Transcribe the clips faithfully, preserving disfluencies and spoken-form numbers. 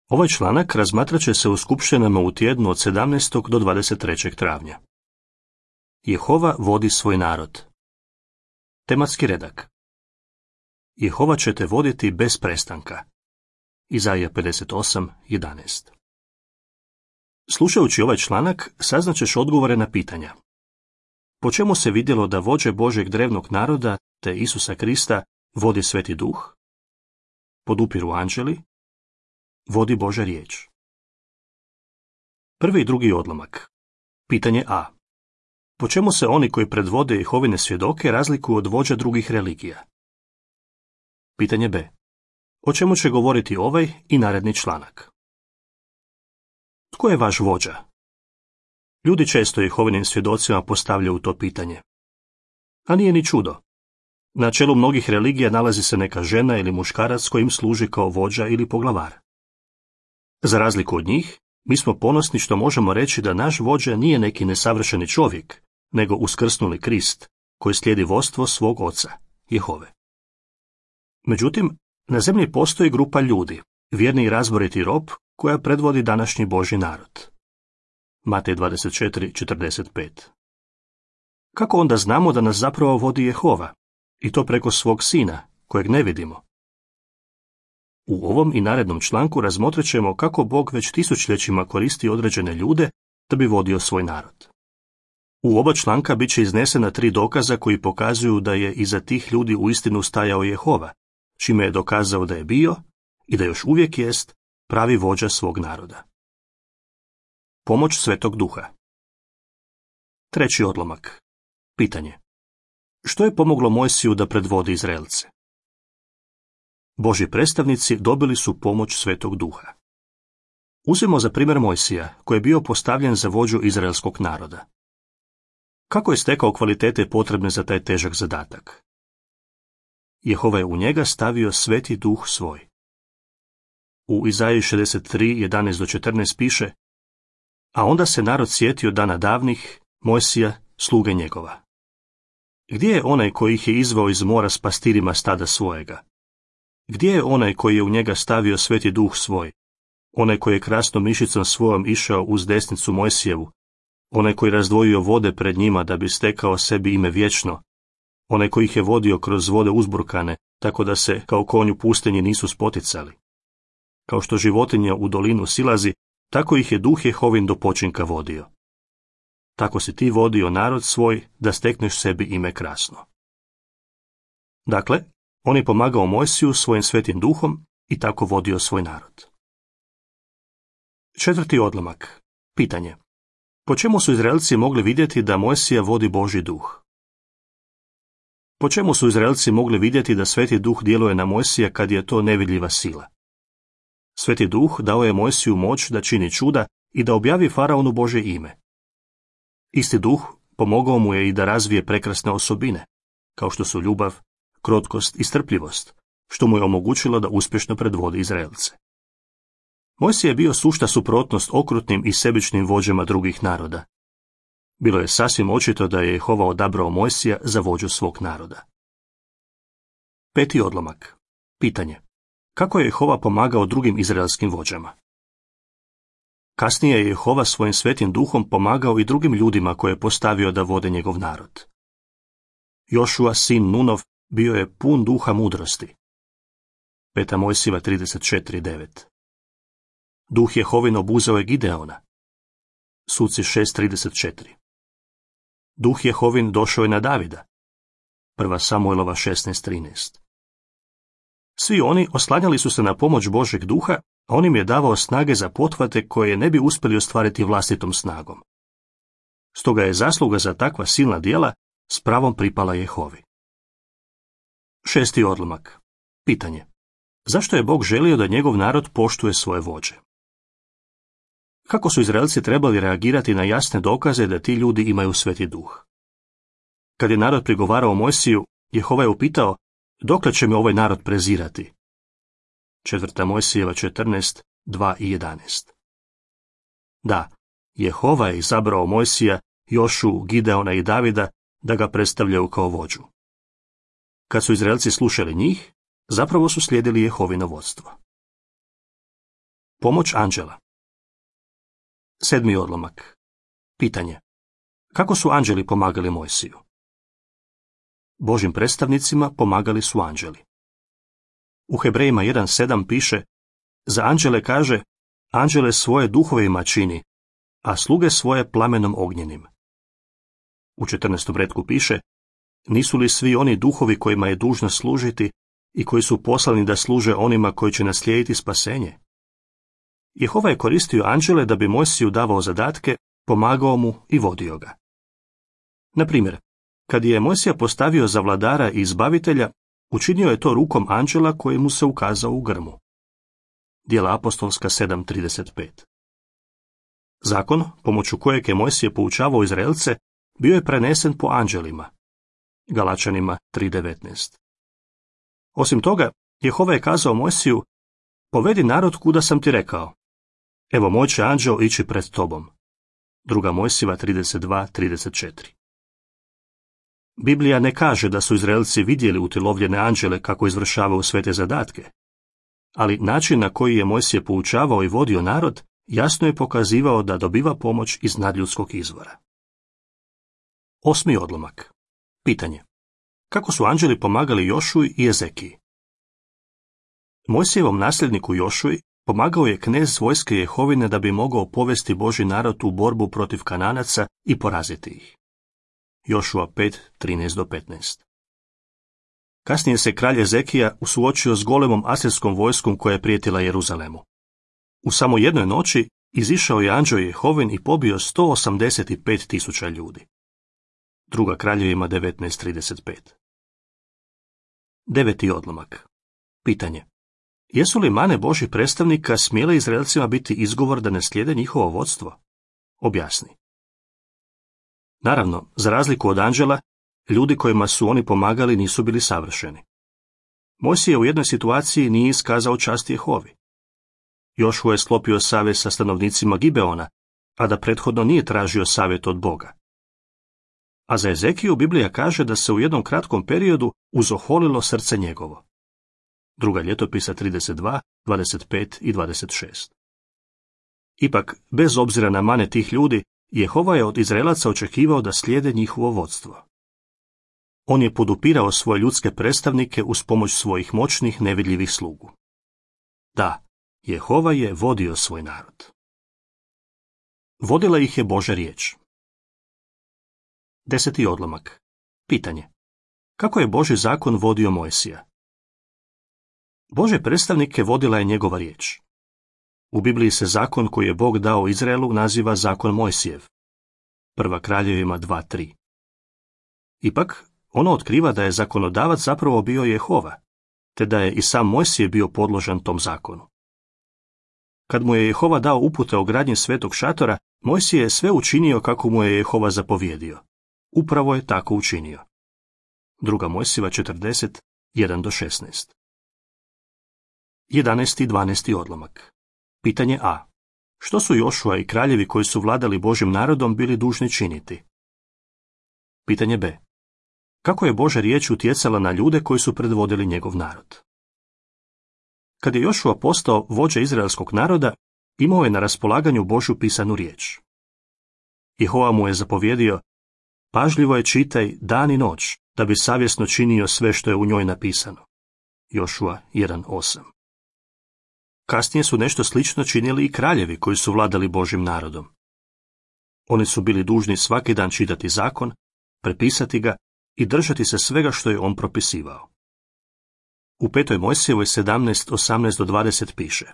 Ovaj članak razmatrat će se u skupštinama u tjednu od sedamnaestog do dvadeset trećeg travnja. Jehova vodi svoj narod. Tematski redak. Jehova će te voditi bez prestanka. Izaija pedeset osam jedanaest. Slušajući ovaj članak, saznaćeš odgovore na pitanja. Po čemu se vidjelo da vođe Božjeg drevnog naroda, te Isusa Krista, vodi Sveti Duh? Podupiru anđeli? Vodi Božja riječ. Prvi i drugi odlomak. Pitanje A. Po čemu se oni koji predvode Jehovine svjedoke razlikuju od vođa drugih religija? Pitanje B. O čemu će govoriti ovaj i naredni članak? Tko je vaš vođa? Ljudi često Jehovinim svjedocima postavljaju to pitanje. A nije ni čudo. Na čelu mnogih religija nalazi se neka žena ili muškarac koji im služi kao vođa ili poglavar. Za razliku od njih, mi smo ponosni što možemo reći da naš vođa nije neki nesavršeni čovjek, nego uskrsnuli Krist, koji slijedi vodstvo svog oca, Jehove. Međutim, na zemlji postoji grupa ljudi, vjerni i razboriti rob, koja predvodi današnji Božji narod. Matej dvadeset četiri četrdeset pet. Kako onda znamo da nas zapravo vodi Jehova, i to preko svog sina, kojeg ne vidimo? U ovom i narednom članku razmotrit ćemo kako Bog već tisućljećima koristi određene ljude da bi vodio svoj narod. U oba članka bit će iznesena tri dokaza koji pokazuju da je iza tih ljudi uistinu stajao Jehova, čime je dokazao da je bio i da još uvijek jest pravi vođa svog naroda. Pomoć Svetog Duha. Treći odlomak. Pitanje. Što je pomoglo Mojsiju da predvodi Izraelce? Božji predstavnici dobili su pomoć Svetog Duha. Uzmimo za primjer Mojsija, koji je bio postavljen za vođu izraelskog naroda. Kako je stekao kvalitete potrebne za taj težak zadatak? Jehova je u njega stavio Sveti Duh svoj. U Izaiji šezdeset tri jedanaest do četrnaest piše: A onda se narod sjetio dana davnih, Mojsija, sluge njegova. Gdje je onaj koji ih je izveo iz mora s pastirima stada svojega? Gdje je onaj koji je u njega stavio Sveti Duh svoj? Onaj koji je krasnom mišicom svojom išao uz desnicu Mojsijevu? Onaj koji razdvojio vode pred njima da bi stekao sebi ime vječno? Onaj koji ih je vodio kroz vode uzburkane, tako da se kao konj u pustinji nisu spoticali? Kao što životinja u dolinu silazi, tako ih je Duh Jehovin do počinka vodio. Tako si ti vodio narod svoj da stekneš sebi ime krasno. Dakle, on je pomagao Mojsiju svojim svetim duhom i tako vodio svoj narod. Četvrti odlomak. Pitanje. Po čemu su Izraelci mogli vidjeti da Mojsija vodi Božji duh? Po čemu su Izraelci mogli vidjeti da Sveti Duh djeluje na Mojsija kad je to nevidljiva sila? Sveti Duh dao je Mojsiju moć da čini čuda i da objavi faraonu Božje ime. Isti Duh pomogao mu je i da razvije prekrasne osobine, kao što su ljubav, krotkost i strpljivost, što mu je omogućilo da uspješno predvodi Izraelce. Mojsije je bio sušta suprotnost okrutnim i sebičnim vođama drugih naroda. Bilo je sasvim očito da je Jehova odabrao Mojsija za vođu svog naroda. Peti odlomak. Pitanje. Kako je Jehova pomagao drugim izraelskim vođama? Kasnije je Jehova svojim svetim duhom pomagao i drugim ljudima koje je postavio da vode njegov narod. Jošua, sin Nunov, bio je pun duha mudrosti. Peta Mojsijeva trideset četiri devet. Duh Jehovin obuzeo je Gideona. Suci šest trideset četiri. Duh Jehovin došao je na Davida. Prva Samuelova šesnaest trinaest. Svi oni oslanjali su se na pomoć Božeg duha, a on im je davao snage za pothvate koje ne bi uspjeli ostvariti vlastitom snagom. Stoga je zasluga za takva silna djela s pravom pripala Jehovi. Šesti odlomak. Pitanje. Zašto je Bog želio da njegov narod poštuje svoje vođe? Kako su Izraelci trebali reagirati na jasne dokaze da ti ljudi imaju Sveti Duh? Kad je narod prigovarao Mojsiju, Jehova je upitao: dokle će me ovaj narod prezirati? Četvrta Mojsijeva četrnaest dva i jedanaest. Da, Jehova je izabrao Mojsija, Jošu, Gideona i Davida da ga predstavljaju kao vođu. Kad su Izraelci slušali njih, zapravo su slijedili Jehovino vodstvo. Pomoć anđela. Sedmi odlomak. Pitanje. Kako su anđeli pomagali Mojsiju? Božjim predstavnicima pomagali su anđeli. U Hebrejima jedan sedam piše: za anđele kaže, anđele svoje duhovima čini, a sluge svoje plamenom ognjenim. U četrnaestom retku piše: nisu li svi oni duhovi kojima je dužno služiti i koji su poslani da služe onima koji će naslijediti spasenje? Jehova je koristio anđele da bi Mojsiju davao zadatke, pomagao mu i vodio ga. Na primjer, kad je Mojsija postavio za vladara i izbavitelja, učinio je to rukom anđela koji mu se ukazao u grmu. Djela apostolska sedam trideset pet. Zakon, pomoću kojeg je Mojsije poučavao Izraelce, bio je prenesen po anđelima. Galačanima tri devetnaest. Osim toga, Jehova je kazao Mojsiju: povedi narod kuda sam ti rekao. Evo, moj će anđeo ići pred tobom. Druga Mojsijeva trideset dva trideset četiri. Biblija ne kaže da su Izraelci vidjeli utjelovljene anđele kako izvršavaju sve te zadatke, ali način na koji je Mojsije poučavao i vodio narod jasno je pokazivao da dobiva pomoć iz nadljudskog izvora. Osmi odlomak. Pitanje. Kako su anđeli pomagali Jošuji i Ezekiji? Mojsijevom nasljedniku Jošuji pomagao je knez vojske Jehovine da bi mogao povesti Božji narod u borbu protiv Kananaca i poraziti ih. Jošua pet trinaest do petnaest. Kasnije se kralj Ezekija suočio s golemom asirskom vojskom koja je prijetila Jeruzalemu. U samo jednoj noći izišao je anđeo Jehovin i pobio sto osamdeset pet tisuća ljudi. Druga Kraljevima devetnaest trideset pet. Deveti odlomak. Pitanje. Jesu li mane Božjih predstavnika smjele Izraelcima biti izgovor da ne slijede njihovo vodstvo? Objasni. Naravno, za razliku od anđela, ljudi kojima su oni pomagali nisu bili savršeni. Mojsije u jednoj situaciji nije iskazao čast Jehovi. Jošua je sklopio savez sa stanovnicima Gibeona, a da prethodno nije tražio savjet od Boga. A za Ezekiju Biblija kaže da se u jednom kratkom periodu uzoholilo srce njegovo. Druga ljetopisa trideset dva, dvadeset pet i dvadeset šest. Ipak, bez obzira na mane tih ljudi, Jehova je od Izraelaca očekivao da slijede njihovo vodstvo. On je podupirao svoje ljudske predstavnike uz pomoć svojih moćnih nevidljivih slugu. Da, Jehova je vodio svoj narod. Vodila ih je Božja riječ. Deseti odlomak. Pitanje. Kako je Božji zakon vodio Mojsija? Božje predstavnike vodila je njegova riječ. U Bibliji se zakon koji je Bog dao Izraelu naziva zakon Mojsijev. Prva Kraljevima dva tri. Ipak, ono otkriva da je zakonodavac zapravo bio Jehova, te da je i sam Mojsije bio podložan tom zakonu. Kad mu je Jehova dao upute o gradnji svetog šatora, Mojsije je sve učinio kako mu je Jehova zapovjedio. Upravo je tako učinio. Druga Mojsijeva četrdeset jedan do šesnaest. Jedanaesti i dvanaesti odlomak. Pitanje A. Što su Jošua i kraljevi koji su vladali Božjim narodom bili dužni činiti? Pitanje B. Kako je Božja riječ utjecala na ljude koji su predvodili njegov narod? Kad je Jošua postao vođa izraelskog naroda, imao je na raspolaganju Božju pisanu riječ. Jehova mu je zapovjedio: pažljivo je čitaj dan i noć, da bi savjesno činio sve što je u njoj napisano. Jošua jedan osam. Kasnije su nešto slično činili i kraljevi koji su vladali Božjim narodom. Oni su bili dužni svaki dan čitati zakon, prepisati ga i držati se svega što je on propisivao. U petoj Mojsijevoj sedamnaest osamnaest do dvadeset piše: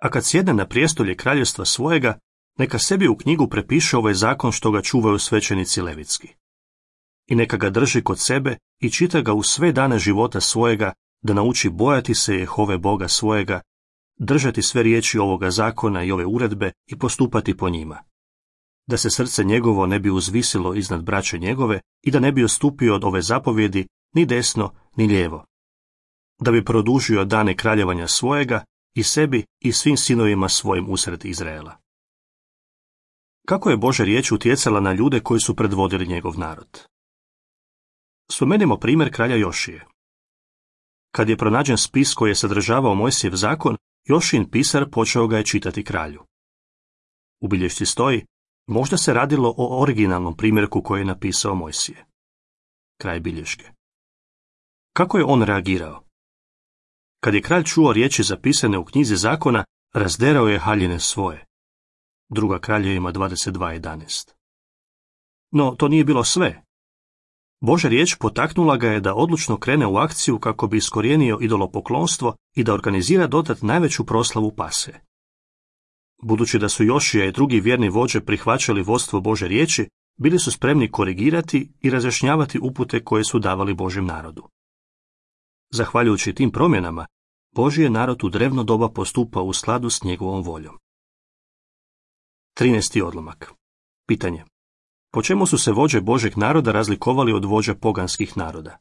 a kad sjedne na prijestolje kraljevstva svojega, neka sebi u knjigu prepiše ovaj zakon što ga čuvaju svećenici levitski. I neka ga drži kod sebe i čita ga u sve dane života svojega, da nauči bojati se Jehove Boga svojega, držati sve riječi ovoga zakona i ove uredbe i postupati po njima. Da se srce njegovo ne bi uzvisilo iznad braće njegove i da ne bi odstupio od ove zapovjedi ni desno ni lijevo. Da bi produžio dane kraljevanja svojega i sebi i svim sinovima svojim usred Izraela. Kako je Božja riječ utjecala na ljude koji su predvodili njegov narod? Spomenimo primjer kralja Jošije. Kad je pronađen spis koji je sadržavao Mojsijev zakon, Jošin pisar počeo ga je čitati kralju. U bilješci stoji, možda se radilo o originalnom primjerku koji je napisao Mojsije. Kraj bilješke. Kako je on reagirao? Kad je kralj čuo riječi zapisane u knjizi zakona, razderao je haljine svoje. Druga Kraljevima dvadeset dva jedanaest. No, to nije bilo sve. Božja riječ potaknula ga je da odlučno krene u akciju kako bi iskorijenio idolopoklonstvo i da organizira dodat najveću proslavu Pase. Budući da su Jošija i drugi vjerni vođe prihvaćali vodstvo Božje riječi, bili su spremni korigirati i razjašnjavati upute koje su davali Božjem narodu. Zahvaljujući tim promjenama, Božji je narod u drevno doba postupao u skladu s njegovom voljom. trinaesti odlomak. Pitanje. Po čemu su se vođe Božjeg naroda razlikovali od vođa poganskih naroda?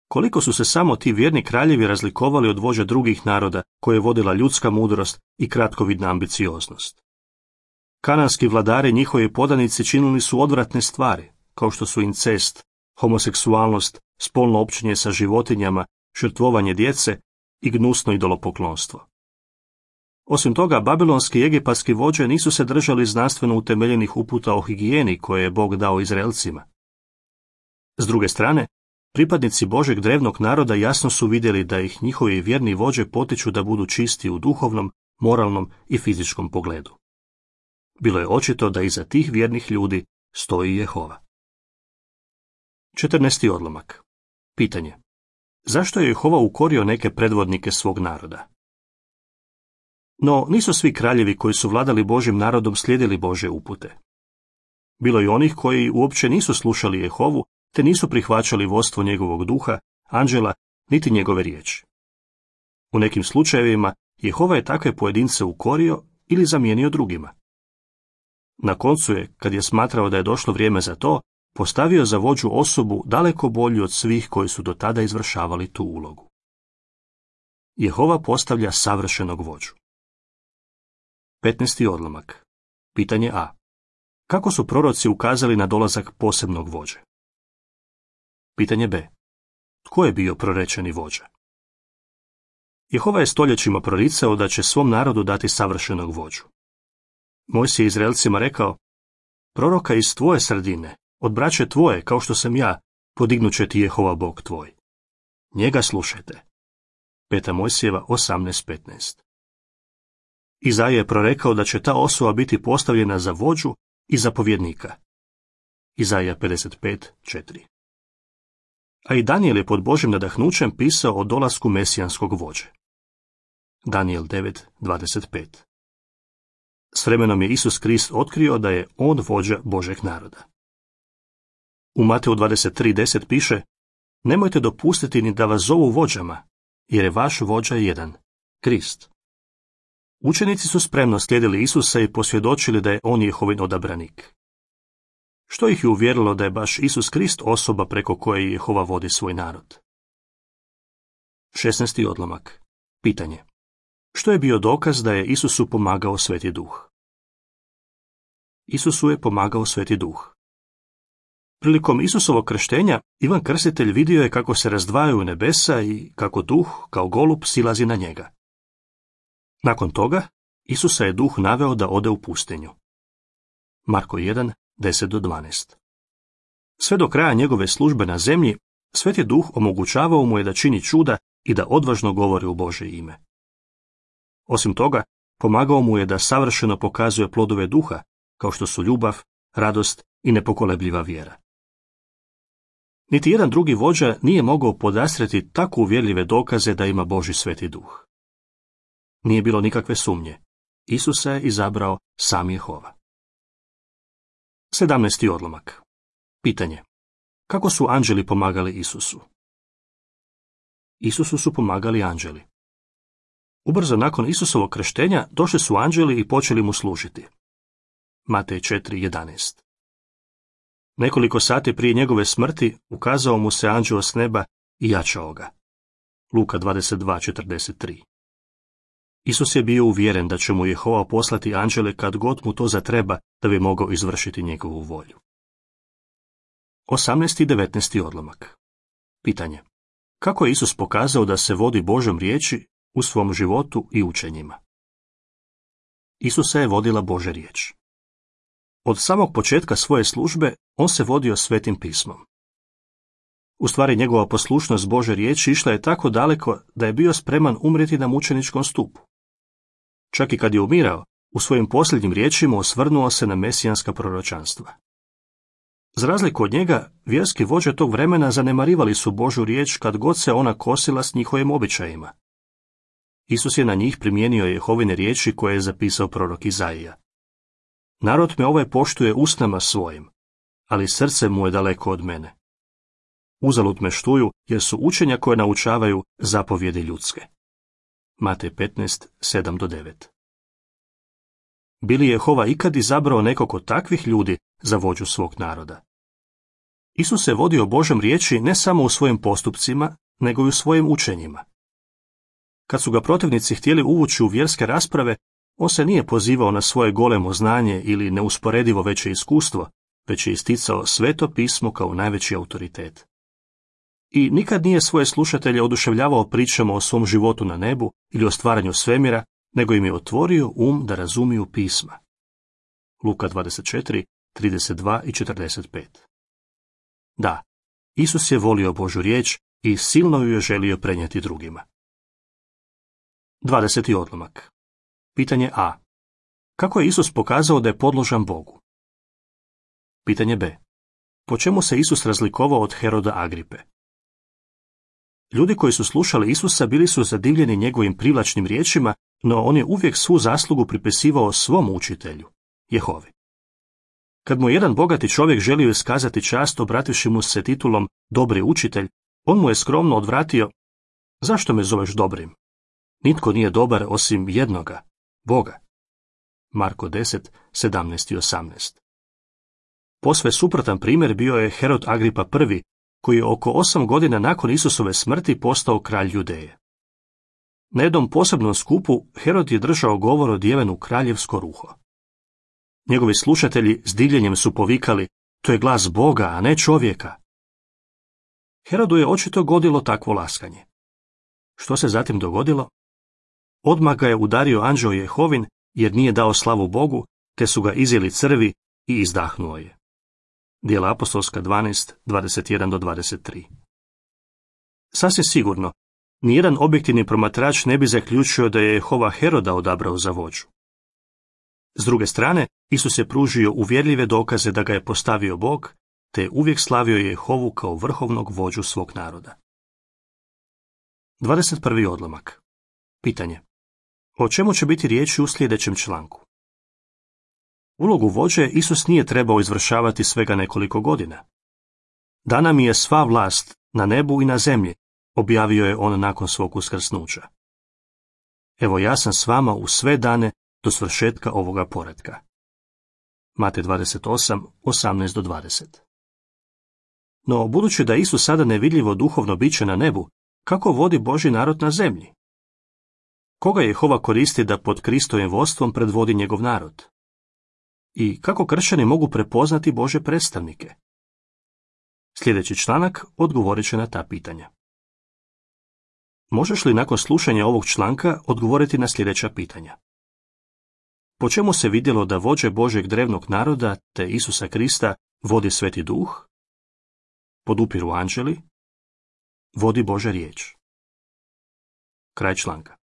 Koliko su se samo ti vjerni kraljevi razlikovali od vođa drugih naroda koje je vodila ljudska mudrost i kratkovidna ambicioznost? Kananski vladari i njihovi podanici činili su odvratne stvari, kao što su incest, homoseksualnost, spolno općenje sa životinjama, žrtvovanje djece i gnusno idolopoklonstvo. Osim toga, babilonski i egipatski vođe nisu se držali znanstveno utemeljenih uputa o higijeni koje je Bog dao Izraelcima. S druge strane, pripadnici Božeg drevnog naroda jasno su vidjeli da ih njihovi vjerni vođe potiču da budu čisti u duhovnom, moralnom i fizičkom pogledu. Bilo je očito da iza tih vjernih ljudi stoji Jehova. četrnaesti odlomak. Pitanje. Zašto je Jehova ukorio neke predvodnike svog naroda? No, nisu svi kraljevi koji su vladali Božjim narodom slijedili Božje upute. Bilo je onih koji uopće nisu slušali Jehovu, te nisu prihvaćali vodstvo njegovog duha, anđela, niti njegove riječi. U nekim slučajevima Jehova je takve pojedince ukorio ili zamijenio drugima. Na koncu je, kad je smatrao da je došlo vrijeme za to, postavio za vođu osobu daleko bolju od svih koji su do tada izvršavali tu ulogu. Jehova postavlja savršenog vođu. petnaesti odlomak. Pitanje A. Kako su proroci ukazali na dolazak posebnog vođe? Pitanje B. Tko je bio prorečeni vođa? Jehova je stoljećima proricao da će svom narodu dati savršenog vođu. Mojsije je Izraelcima rekao, proroka iz tvoje sredine, od braće tvoje, kao što sam ja, podignut će ti Jehova Bog tvoj. Njega slušajte. Peta Mojsijeva osamnaest petnaest. Izaija je prorekao da će ta osoba biti postavljena za vođu i zapovjednika. Izaija pedeset pet četiri. A i Danijel je pod Božjim nadahnućem pisao o dolasku mesijanskog vođe. Danijel devet dvadeset pet. S vremenom je Isus Krist otkrio da je on vođa Božeg naroda. U Mateju dvadeset tri deset piše, nemojte dopustiti ni da vas zovu vođama, jer je vaš vođa jedan, Krist. Učenici su spremno slijedili Isusa i posvjedočili da je on Jehovin odabranik. Što ih je uvjerilo da je baš Isus Krist osoba preko koje Jehova vodi svoj narod? šesnaesti odlomak. Pitanje. Što je bio dokaz da je Isusu pomagao Sveti Duh? Isusu je pomagao Sveti Duh. Prilikom Isusovog krštenja, Ivan Krstitelj vidio je kako se razdvajaju nebesa i kako Duh, kao golub, silazi na njega. Nakon toga, Isusa je Duh naveo da ode u pustinju. Marko jedan deset do dvanaest. Sve do kraja njegove službe na zemlji, Sveti Duh omogućavao mu je da čini čuda i da odvažno govori u Božje ime. Osim toga, pomagao mu je da savršeno pokazuje plodove duha, kao što su ljubav, radost i nepokolebljiva vjera. Niti jedan drugi vođa nije mogao podastrijeti tako uvjerljive dokaze da ima Božji Sveti Duh. Nije bilo nikakve sumnje. Isusa je izabrao sam Jehova. sedamnaesti odlomak. Pitanje. Kako su anđeli pomagali Isusu? Isusu su pomagali anđeli. Ubrzo nakon Isusovog krštenja došli su anđeli i počeli mu služiti. Matej četiri jedanaest. Nekoliko sati prije njegove smrti ukazao mu se anđeo s neba i jačao ga. Luka dvadeset dva četrdeset tri. Isus je bio uvjeren da će mu Jehova poslati anđele kad god mu to zatreba da bi mogao izvršiti njegovu volju. osamnaesti i devetnaesti odlomak. Pitanje. Kako je Isus pokazao da se vodi Božjom riječi u svom životu i učenjima. Isusa je vodila Božja riječ. Od samog početka svoje službe on se vodio Svetim pismom. U stvari njegova poslušnost Božje riječi išla je tako daleko da je bio spreman umrijeti na mučeničkom stupu. Čak i kad je umirao, u svojim posljednjim riječima osvrnuo se na mesijanska proročanstva. Za razliku od njega, vjerski vođe tog vremena zanemarivali su Božju riječ kad god se ona kosila s njihovim običajima. Isus je na njih primijenio Jehovine riječi koje je zapisao prorok Izaija. Narod me ovaj poštuje usnama svojim, ali srce mu je daleko od mene. Uzalud me štuju, jer su učenja koje naučavaju zapovjedi ljudske. Matej petnaest, sedam do devet. Bi li Jehova ikad izabrao nekog od takvih ljudi za vođu svog naroda? Isus se vodio Božjom riječi ne samo u svojim postupcima, nego i u svojim učenjima. Kad su ga protivnici htjeli uvući u vjerske rasprave, on se nije pozivao na svoje golemo znanje ili neusporedivo veće iskustvo, već je isticao Sveto pismo kao najveći autoritet. I nikad nije svoje slušatelje oduševljavao pričama o svom životu na nebu ili o stvaranju svemira, nego im je otvorio um da razumiju pisma. Luka dvadeset četiri, trideset dva i četrdeset pet. Da, Isus je volio Božju riječ i silno ju je želio prenijeti drugima. dvadeseti odlomak. Pitanje A. Kako je Isus pokazao da je podložan Bogu? Pitanje B. Po čemu se Isus razlikovao od Heroda Agripe? Ljudi koji su slušali Isusa bili su zadivljeni njegovim privlačnim riječima, no on je uvijek svu zaslugu pripisivao svom učitelju, Jehovi. Kad mu jedan bogati čovjek želio iskazati čast obrativši mu se titulom dobri učitelj, on mu je skromno odvratio: zašto me zoveš dobrim? Nitko nije dobar osim jednoga, Boga. Marko deset, sedamnaest i osamnaest. Posve suprotan primjer bio je Herod Agripa prvi, koji je oko osam godina nakon Isusove smrti postao kralj Judeje. Na jednom posebnom skupu Herod je držao govor odjeven kraljevsko ruho. Njegovi slušatelji s divljenjem su povikali: to je glas Boga, a ne čovjeka. Herodu je očito godilo takvo laskanje. Što se zatim dogodilo? Odmah ga je udario anđeo Jehovin, jer nije dao slavu Bogu, te su ga izjeli crvi i izdahnuo je. Djela apostolska dvanaest, dvadeset jedan do dvadeset tri. Sasvim sigurno, nijedan objektivni promatrač ne bi zaključio da je Jehova Heroda odabrao za vođu. S druge strane, Isus je pružio uvjerljive dokaze da ga je postavio Bog, te je uvijek slavio Jehovu kao vrhovnog vođu svog naroda. dvadeset prvi odlomak. Pitanje. O čemu će biti riječi u sljedećem članku? Ulogu vođe Isus nije trebao izvršavati svega nekoliko godina. Dana mi je sva vlast na nebu i na zemlji, objavio je on nakon svog uskrsnuća. Evo ja sam s vama u sve dane do svršetka ovoga poretka. Matej dvadeset osam, osamnaest do dvadeset. No, budući da Isus sada nevidljivo duhovno biće na nebu, kako vodi Božji narod na zemlji? Koga Jehova koristi da pod Kristovim vodstvom predvodi njegov narod? I kako kršćani mogu prepoznati Božje predstavnike? Sljedeći članak odgovorit će na ta pitanja. Možeš li nakon slušanja ovog članka odgovoriti na sljedeća pitanja? Po čemu se vidjelo da vođe Božjeg drevnog naroda te Isusa Krista vodi Sveti Duh? Podupiru anđeli? Vodi Božja riječ. Kraj članka.